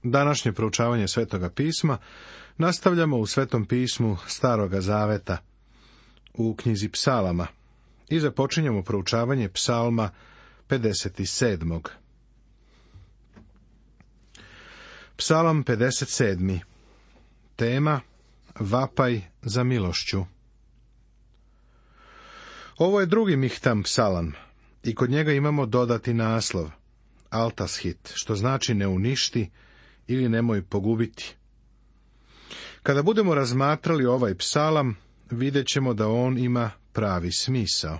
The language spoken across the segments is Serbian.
Današnje proučavanje Svetoga pisma nastavljamo u Svetom pismu Staroga zaveta, u knjizi Psalama, i započinjemo proučavanje Psalma 57. Psalam 57. Tema: Vapaj za milošću. Ovo je drugi Mihtam psalam i kod njega imamo dodati naslov Altashit, što znači ne uništi ili nemoj pogubiti. Kada budemo razmatrali ovaj psalam, vidjet ćemo da on ima pravi smisao.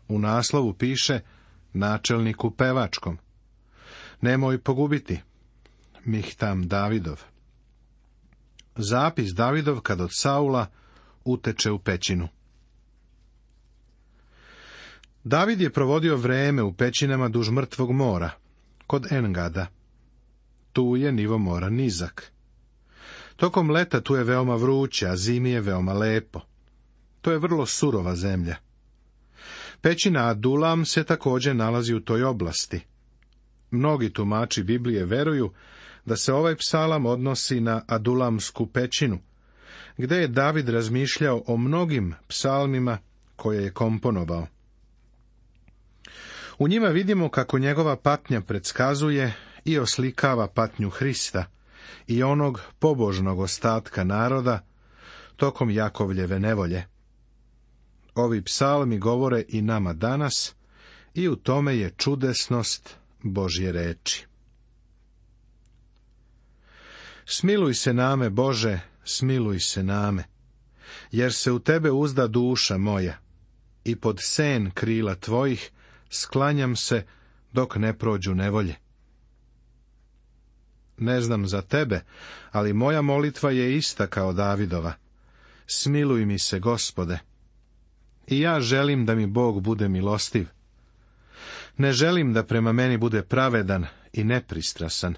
U naslovu piše načelniku pevačkom. Nemoj pogubiti. Mihtam Davidov. Zapis Davidov kad od Saula uteče u pećinu. David je provodio vreme u pećinama duž Mrtvog mora, kod Engada. Tu je nivo mora nizak. Tokom leta tu je veoma vruće, a zimi je veoma lepo. To je vrlo surova zemlja. Pećina Adulam se također nalazi u toj oblasti. Mnogi tumači Biblije veruju da se ovaj psalam odnosi na Adulamsku pećinu, gdje je David razmišljao o mnogim psalmima koje je komponovao. U njima vidimo kako njegova patnja predskazuje i oslikava patnju Hrista i onog pobožnog ostatka naroda tokom Jakovljeve nevolje. Ovi psalmi govore i nama danas i u tome je čudesnost Božje reči. Smiluj se name, Bože, smiluj se name, jer se u tebe uzda duša moja i pod sen krila tvojih sklanjam se dok ne prođu nevolje. Ne znam za tebe, ali moja molitva je ista kao Davidova. Smiluj mi se, Gospode. I ja želim da mi Bog bude milostiv. Ne želim da prema meni bude pravedan i nepristrasan,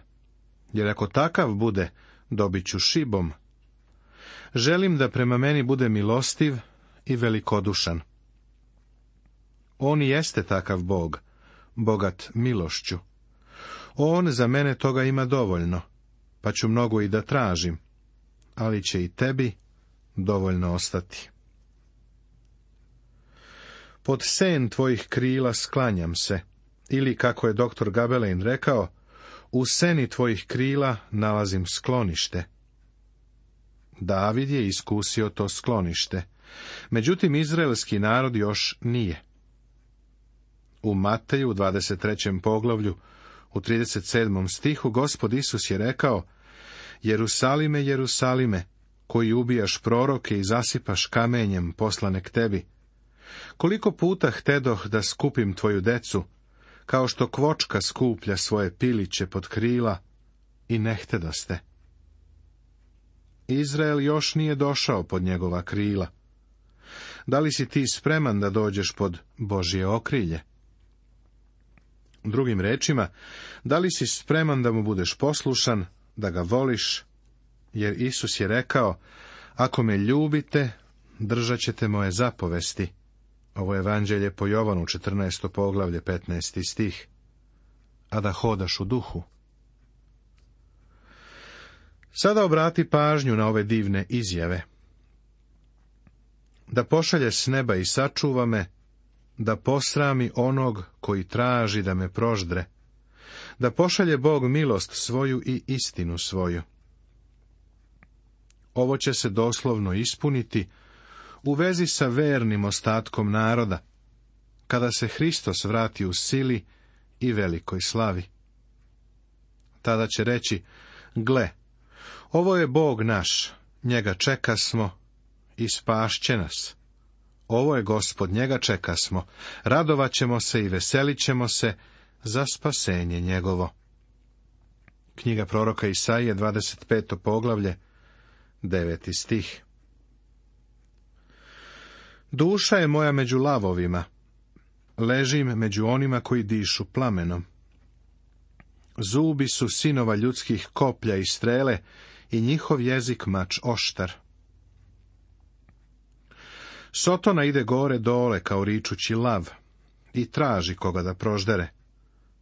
jer ako takav bude, dobit ću šibom. Želim da prema meni bude milostiv i velikodušan. On jeste takav Bog, bogat milošću. On za mene toga ima dovoljno, pa ću mnogo i da tražim, ali će i tebi dovoljno ostati. Pod sen tvojih krila sklanjam se, ili kako je doktor Gabelein rekao, u seni tvojih krila nalazim sklonište. David je iskusio to sklonište, međutim izraelski narod još nije. U Mateju, u 23. poglavlju, u 37. stihu, Gospod Isus je rekao: Jerusalime, Jerusalime, koji ubijaš proroke i zasipaš kamenjem poslane k tebi. Koliko puta htedoh da skupim tvoju decu, kao što kvočka skuplja svoje piliće pod krila, i ne htedoste. Izrael još nije došao pod njegova krila. Da li si ti spreman da dođeš pod Božje okrilje? Drugim rečima, da li si spreman da mu budeš poslušan, da ga voliš, jer Isus je rekao: ako me ljubite, držat ćete moje zapovesti. Ovo je evanđelje po Jovanu, 14. poglavlje, 15. stih. A da hodaš u duhu. Sada obrati pažnju na ove divne izjave. Da pošalje s neba i sačuva me, da posrami onog koji traži da me proždre, da pošalje Bog milost svoju i istinu svoju. Ovo će se doslovno ispuniti u vezi sa vernim ostatkom naroda, kada se Hristos vrati u sili i velikoj slavi. Tada će reći: gle, ovo je Bog naš, njega čekasmo i spašće nas. Ovo je Gospod, njega čekasmo, radovat ćemo se i veselit ćemo se za spasenje njegovo. Knjiga proroka Isaije, 25. poglavlje, 9. stih. Duša je moja među lavovima, ležim među onima koji dišu plamenom. Zubi su sinova ljudskih koplja i strele i njihov jezik mač oštar. Sotona ide gore dole kao ričući lav i traži koga da proždere.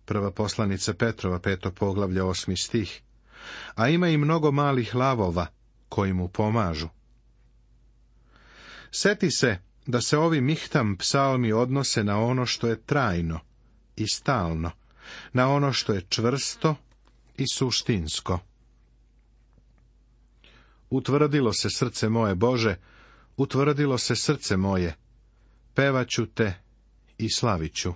Prva poslanica Petrova, 5. poglavlje, 8. stih. a ima i mnogo malih lavova koji mu pomažu. Seti se da se ovi Mihtam psalmi odnose na ono što je trajno i stalno, na ono što je čvrsto i suštinsko. Utvrdilo se srce moje, Bože, utvrdilo se srce moje, pevaću te i slaviću.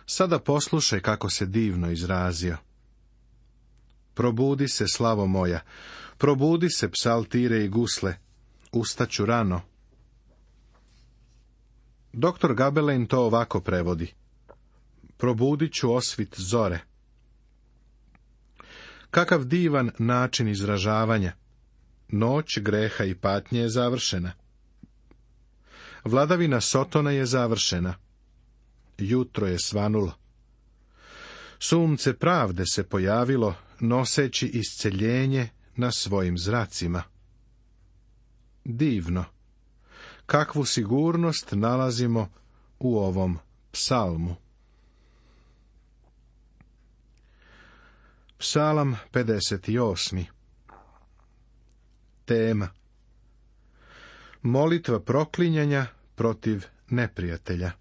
Sada poslušaj kako se divno izrazio. Probudi se, slavo moja, probudi se, psaltire i gusle, ustaću rano. Doktor Gabelein to ovako prevodi. Probudit ću osvit zore. Kakav divan način izražavanja. Noć greha i patnje je završena. Vladavina Sotona je završena. Jutro je svanulo. Sunce pravde se pojavilo, noseći isceljenje na svojim zracima. Divno. Kakvu sigurnost nalazimo u ovom psalmu. Psalam 58. Tema. Molitva proklinjanja protiv neprijatelja.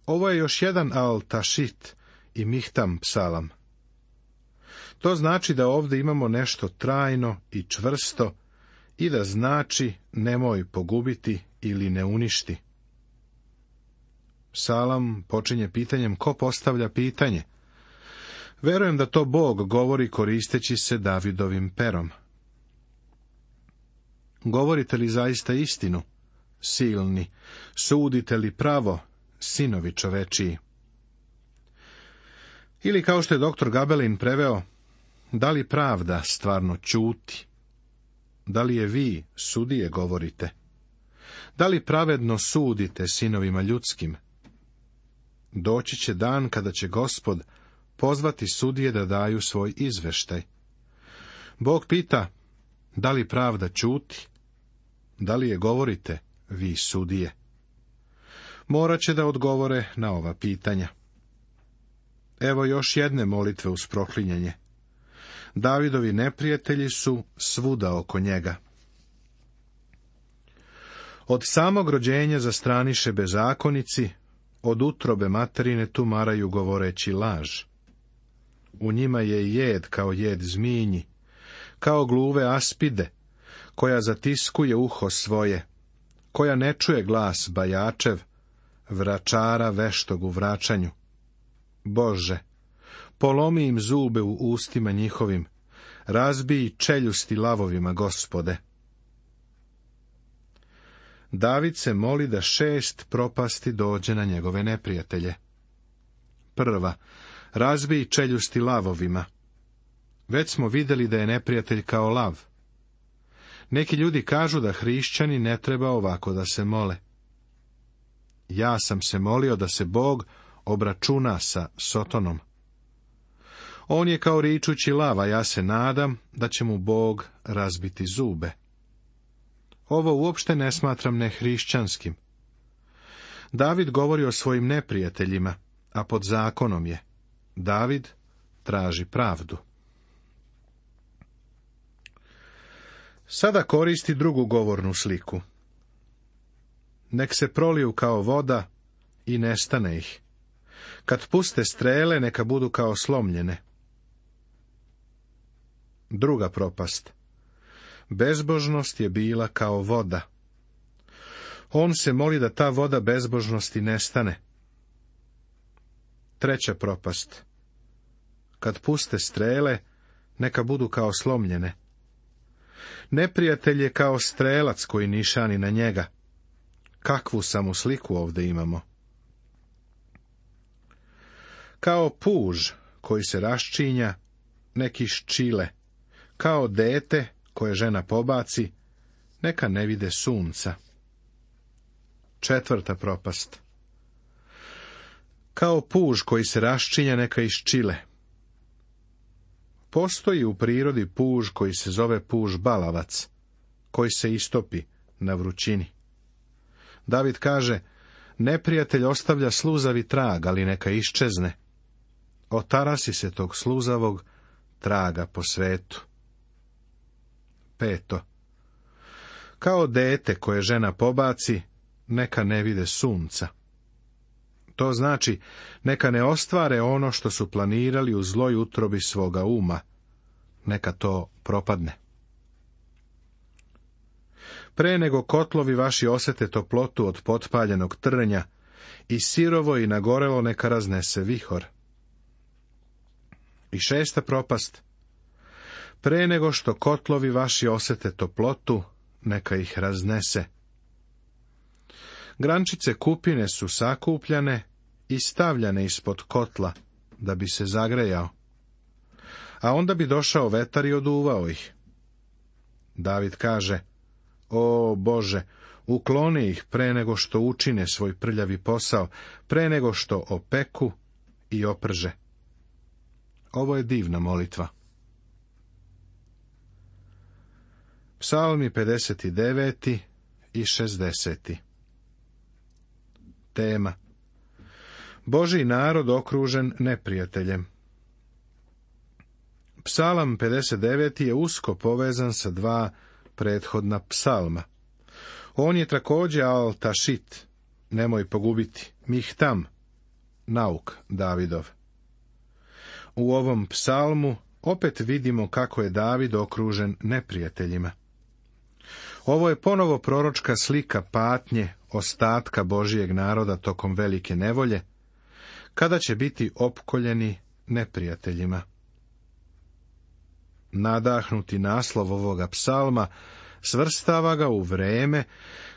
Ovo je još jedan al-tašit i mihtam psalam. To znači da ovdje imamo nešto trajno i čvrsto i da znači nemoj pogubiti ili ne uništi. Psalam počinje pitanjem ko postavlja pitanje. Verujem da to Bog govori koristeći se Davidovim perom. Govorite li zaista istinu, silni, sudite li pravo, sinovi čovečiji? Ili kao što je doktor Gabelein preveo, da li pravda stvarno ćuti? Da li je vi, sudije, govorite? Da li pravedno sudite sinovima ljudskim? Doći će dan kada će Gospod pozvati sudije da daju svoj izveštaj. Bog pita, da li pravda ćuti? Da li je govorite, vi sudije? Morat će da odgovore na ova pitanja. Evo još jedne molitve uz proklinjanje. Davidovi neprijatelji su svuda oko njega. Od samog rođenja zastraniše bezakonici, od utrobe materine tumaraju govoreći laž. U njima je jed kao jed zminji, kao gluve aspide, koja zatiskuje uho svoje, koja ne čuje glas bajačev, vračara veštog u vraćanju. Bože, polomi im zube u ustima njihovim, razbij čeljusti lavovima, Gospode. David se moli da 6 propasti dođe na njegove neprijatelje. Prva, razbij čeljusti lavovima. Već smo vidjeli da je neprijatelj kao lav. Neki ljudi kažu da hrišćani ne treba ovako da se mole. Ja sam se molio da se Bog obračuna sa Sotonom. On je kao ričući lav, a ja se nadam da će mu Bog razbiti zube. Ovo uopšte ne smatram nehrišćanskim. David govori o svojim neprijateljima, a pod zakonom je. David traži pravdu. Sada koristi drugu govornu sliku. Nek se proliju kao voda i nestane ih. Kad puste strele, neka budu kao slomljene. Druga propast. Bezbožnost je bila kao voda. On se moli da ta voda bezbožnosti nestane. Treća propast. Kad puste strele, neka budu kao slomljene. Neprijatelj je kao strelac koji nišani na njega. Kakvu samo sliku ovdje imamo. Kao puž koji se raščinja, neki ščile, kao dete koje žena pobaci, neka ne vide sunca. Četvrta propast. Kao puž koji se raščinja, neka iščile. Postoji u prirodi puž koji se zove puž balavac, koji se istopi na vrućini. David kaže, neprijatelj ostavlja sluzavi trag, ali neka iščezne. otarasi se tog sluzavog traga po svetu. 5. Kao dete koje žena pobaci, neka ne vide sunca. To znači, neka ne ostvare ono što su planirali u zloj utrobi svoga uma. Neka to propadne. Pre nego kotlovi vaši osete toplotu od potpaljenog trnja, i sirovo i nagorelo neka raznese vihor. I 6. propast. Pre nego što kotlovi vaši osete toplotu, neka ih raznese. Grančice kupine su sakupljane i stavljane ispod kotla, da bi se zagrejao. A onda bi došao vetar i oduvao ih. David kaže, o Bože, ukloni ih pre nego što učine svoj prljavi posao, pre nego što opeku i oprže. Ovo je divna molitva. Psalmi 59. i 60. Tema: Božji narod okružen neprijateljem. Psalam 59. je usko povezan sa 2 prethodna psalma. On je također al-tašit, nemoj pogubiti, mihtam, nauk Davidov. U ovom psalmu opet vidimo kako je David okružen neprijateljima. Ovo je ponovo proročka slika patnje ostatka Božijeg naroda tokom velike nevolje, kada će biti opkoljeni neprijateljima. Nadahnuti naslov ovoga psalma svrstava ga u vreme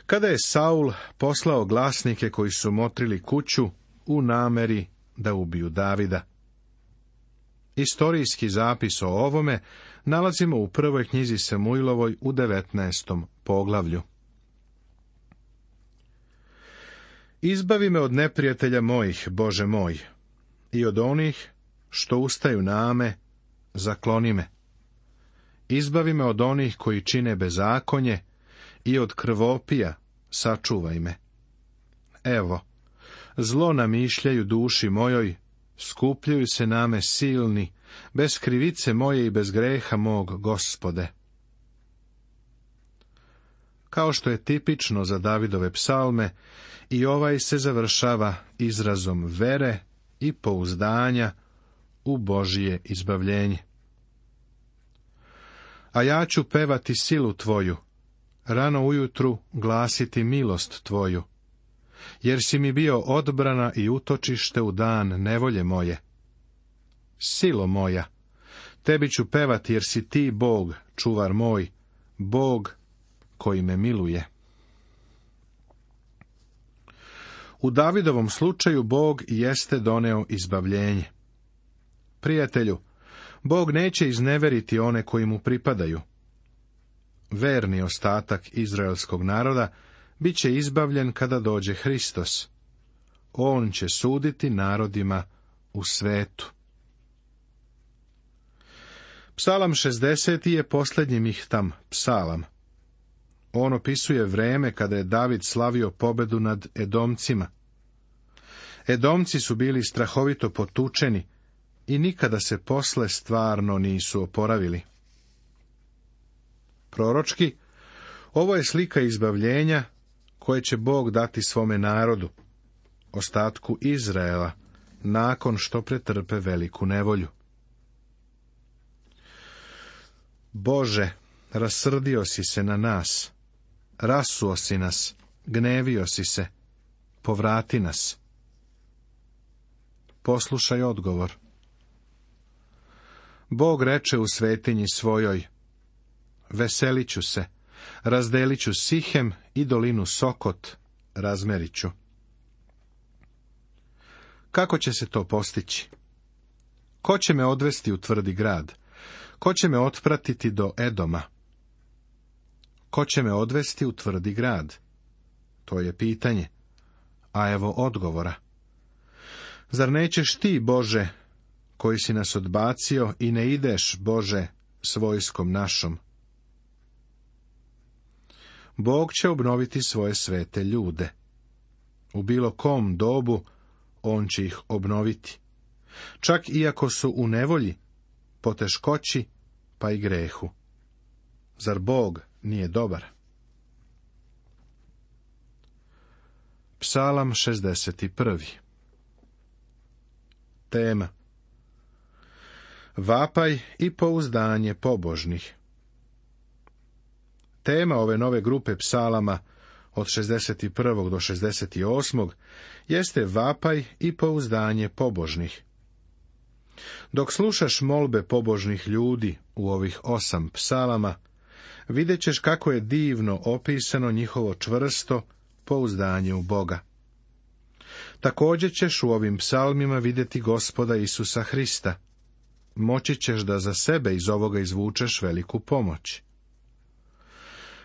kada je Saul poslao glasnike koji su motrili kuću u nameri da ubiju Davida. Istorijski zapis o ovome nalazimo u prvoj knjizi Samuilovoj u 19. poglavlju. Izbavi me od neprijatelja mojih, Bože moj, i od onih što ustaju name, zakloni me. Izbavi me od onih koji čine bezakonje i od krvopija, sačuvaj me. Evo, zlo namišljaju duši mojoj, skupljaju se name silni, bez krivice moje i bez greha mog, Gospode. Kao što je tipično za Davidove psalme, i ovaj se završava izrazom vere i pouzdanja u Božije izbavljenje. A ja ću pevati silu tvoju, rano ujutru glasiti milost tvoju, jer si mi bio odbrana i utočište u dan nevolje moje. Silo moja, tebi ću pevati jer si ti Bog, čuvar moj, Bog koji me miluje. U Davidovom slučaju Bog jeste doneo izbavljenje. Prijatelju, Bog neće izneveriti one koji mu pripadaju. Verni ostatak izraelskog naroda bit će izbavljen kada dođe Hristos. On će suditi narodima u svetu. Psalam 60. je posljednji mihtam psalam. On opisuje vreme kada je David slavio pobedu nad Edomcima. Edomci su bili strahovito potučeni i nikada se posle stvarno nisu oporavili. Proročki, ovo je slika izbavljenja koje će Bog dati svome narodu, ostatku Izraela, nakon što pretrpe veliku nevolju. Bože, rasrdio si se na nas, rasuo si nas, gnevio si se, povrati nas. Poslušaj odgovor. Bog reče u svetinji svojoj, veselit ću se, razdelit ću Sihem i dolinu Sokot, razmerit ću. Kako će se to postići? Ko će me odvesti u tvrdi grad? Ko će me otpratiti do Edoma? Ko će me odvesti u tvrdi grad? To je pitanje, a evo odgovora. Zar nećeš ti, Bože, koji si nas odbacio i ne ideš, Bože, s vojskom našom? Bog će obnoviti svoje svete ljude. U bilo kom dobu on će ih obnoviti. čak iako su u nevolji, poteškoći, pa i grehu. Zar Bog nije dobar? Psalam 61. Tema: vapaj i pouzdanje pobožnih. Tema ove nove grupe psalama od 61. do 68. jeste vapaj i pouzdanje pobožnih. Dok slušaš molbe pobožnih ljudi u ovih 8 psalama, vidjet ćeš kako je divno opisano njihovo čvrsto pouzdanje u Boga. Također ćeš u ovim psalmima vidjeti Gospoda Isusa Hrista. Moći ćeš da za sebe iz ovoga izvučeš veliku pomoć.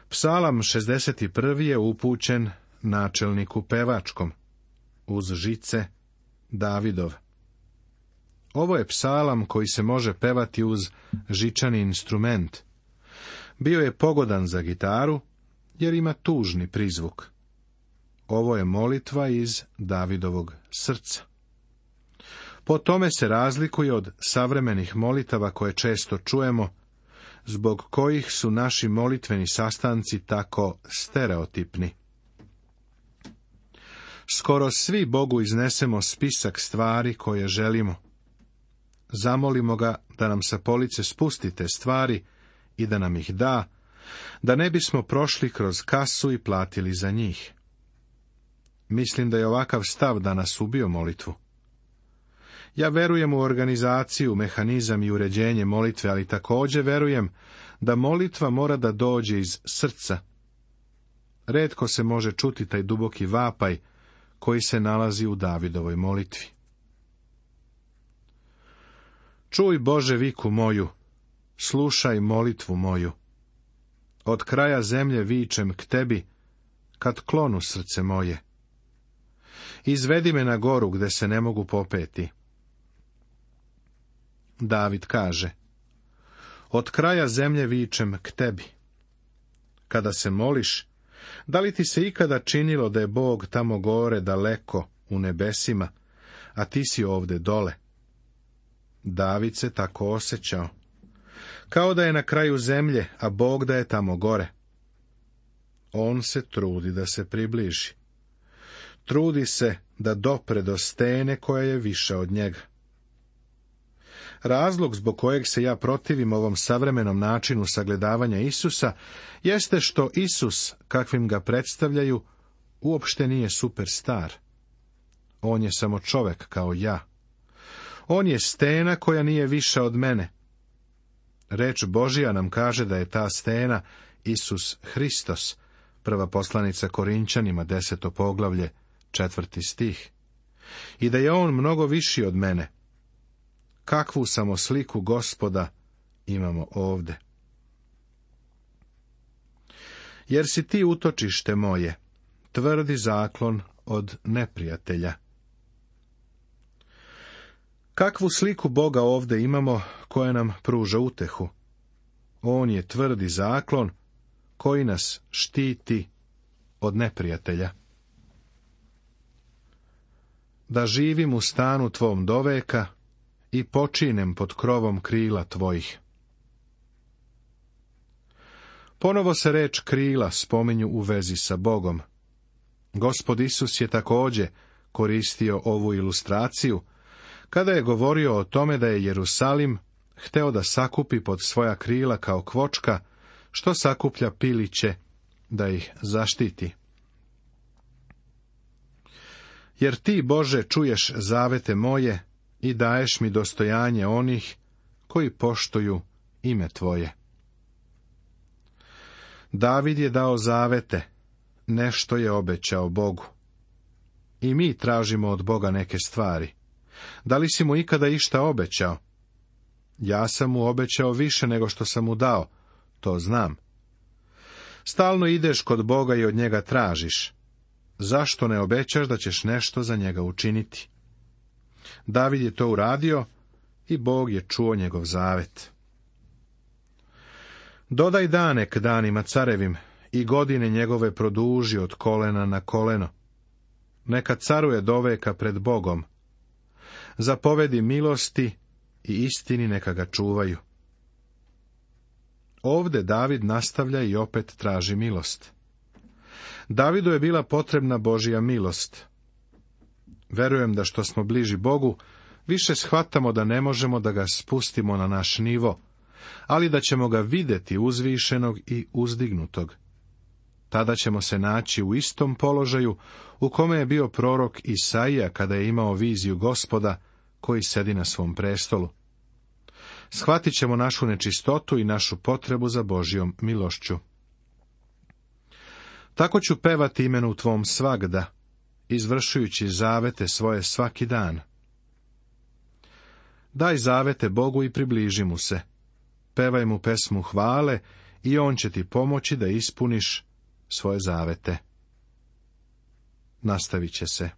Psalam 61. je upućen načelniku pevačkom, uz žice Davidov. Ovo je psalam koji se može pevati uz žičani instrument. Bio je pogodan za gitaru, jer ima tužni prizvuk. Ovo je molitva iz Davidovog srca. Po tome se razlikuje od savremenih molitava koje često čujemo, zbog kojih su naši molitveni sastanci tako stereotipni. Skoro svi Bogu iznesemo spisak stvari koje želimo. Zamolimo ga da nam sa police spusti te stvari i da nam ih da ne bismo prošli kroz kasu i platili za njih. Mislim da je ovakav stav danas ubio molitvu. Ja verujem u organizaciju, mehanizam i uređenje molitve, ali također verujem da molitva mora da dođe iz srca. Retko se može čuti taj duboki vapaj koji se nalazi u Davidovoj molitvi. Čuj, Bože, viku moju, slušaj molitvu moju. Od kraja zemlje vičem k tebi, kad klonu srce moje. Izvedi me na goru gde se ne mogu popeti. David kaže: od kraja zemlje vičem k tebi. Kada se moliš, da li ti se ikada činilo da je Bog tamo gore daleko u nebesima, a ti si ovde dole? David se tako osjećao, kao da je na kraju zemlje, a Bog da je tamo gore. On se trudi da se približi. Trudi se da dopre do stene koja je viša od njega. Razlog zbog kojeg se ja protivim ovom savremenom načinu sagledavanja Isusa jeste što Isus, kakvim ga predstavljaju, uopšte nije superstar. On je samo čovek kao ja. On je stena koja nije viša od mene. Reč Božija nam kaže da je ta stena Isus Hristos, prva poslanica Korinćanima, 10. poglavlje, 4. stih. I da je on mnogo viši od mene. Kakvu samo sliku Gospoda imamo ovde. Jer si ti utočište moje, tvrdi zaklon od neprijatelja. Kakvu sliku Boga ovde imamo koja nam pruža utehu? On je tvrdi zaklon koji nas štiti od neprijatelja. Da živim u stanu tvom doveka i počinem pod krovom krila tvojih. Ponovo se reč krila spominju u vezi sa Bogom. Gospod Isus je također koristio ovu ilustraciju kada je govorio o tome da je Jerusalim hteo da sakupi pod svoja krila kao kvočka, što sakuplja piliće da ih zaštiti. Jer ti, Bože, čuješ zavete moje i daješ mi dostojanje onih koji poštuju ime tvoje. David je dao zavete, nešto je obećao Bogu. I mi tražimo od Boga neke stvari. Da li si mu ikada išta obećao? Ja sam mu obećao više nego što sam mu dao, to znam. Stalno ideš kod Boga i od njega tražiš. Zašto ne obećaš da ćeš nešto za njega učiniti? David je to uradio i Bog je čuo njegov zavet. Dodaj dane k danima carevim i godine njegove produži od kolena na koleno. Neka caruje doveka pred Bogom. Zapovedi milosti i istini neka ga čuvaju. Ovde David nastavlja i opet traži milost. Davidu je bila potrebna Božja milost. Verujem da što smo bliži Bogu, više shvatamo da ne možemo da ga spustimo na naš nivo, ali da ćemo ga vidjeti uzvišenog i uzdignutog. Tada ćemo se naći u istom položaju u kome je bio prorok Isaija kada je imao viziju Gospoda koji sedi na svom prestolu. Shvatit ćemo našu nečistotu i našu potrebu za Božjom milošću. Tako ću pevati imenu tvom svagda, izvršujući zavete svoje svaki dan. Daj zavete Bogu i približi mu se. Pevaj mu pesmu hvale i on će ti pomoći da ispuniš svoje zavete. Nastavit će se.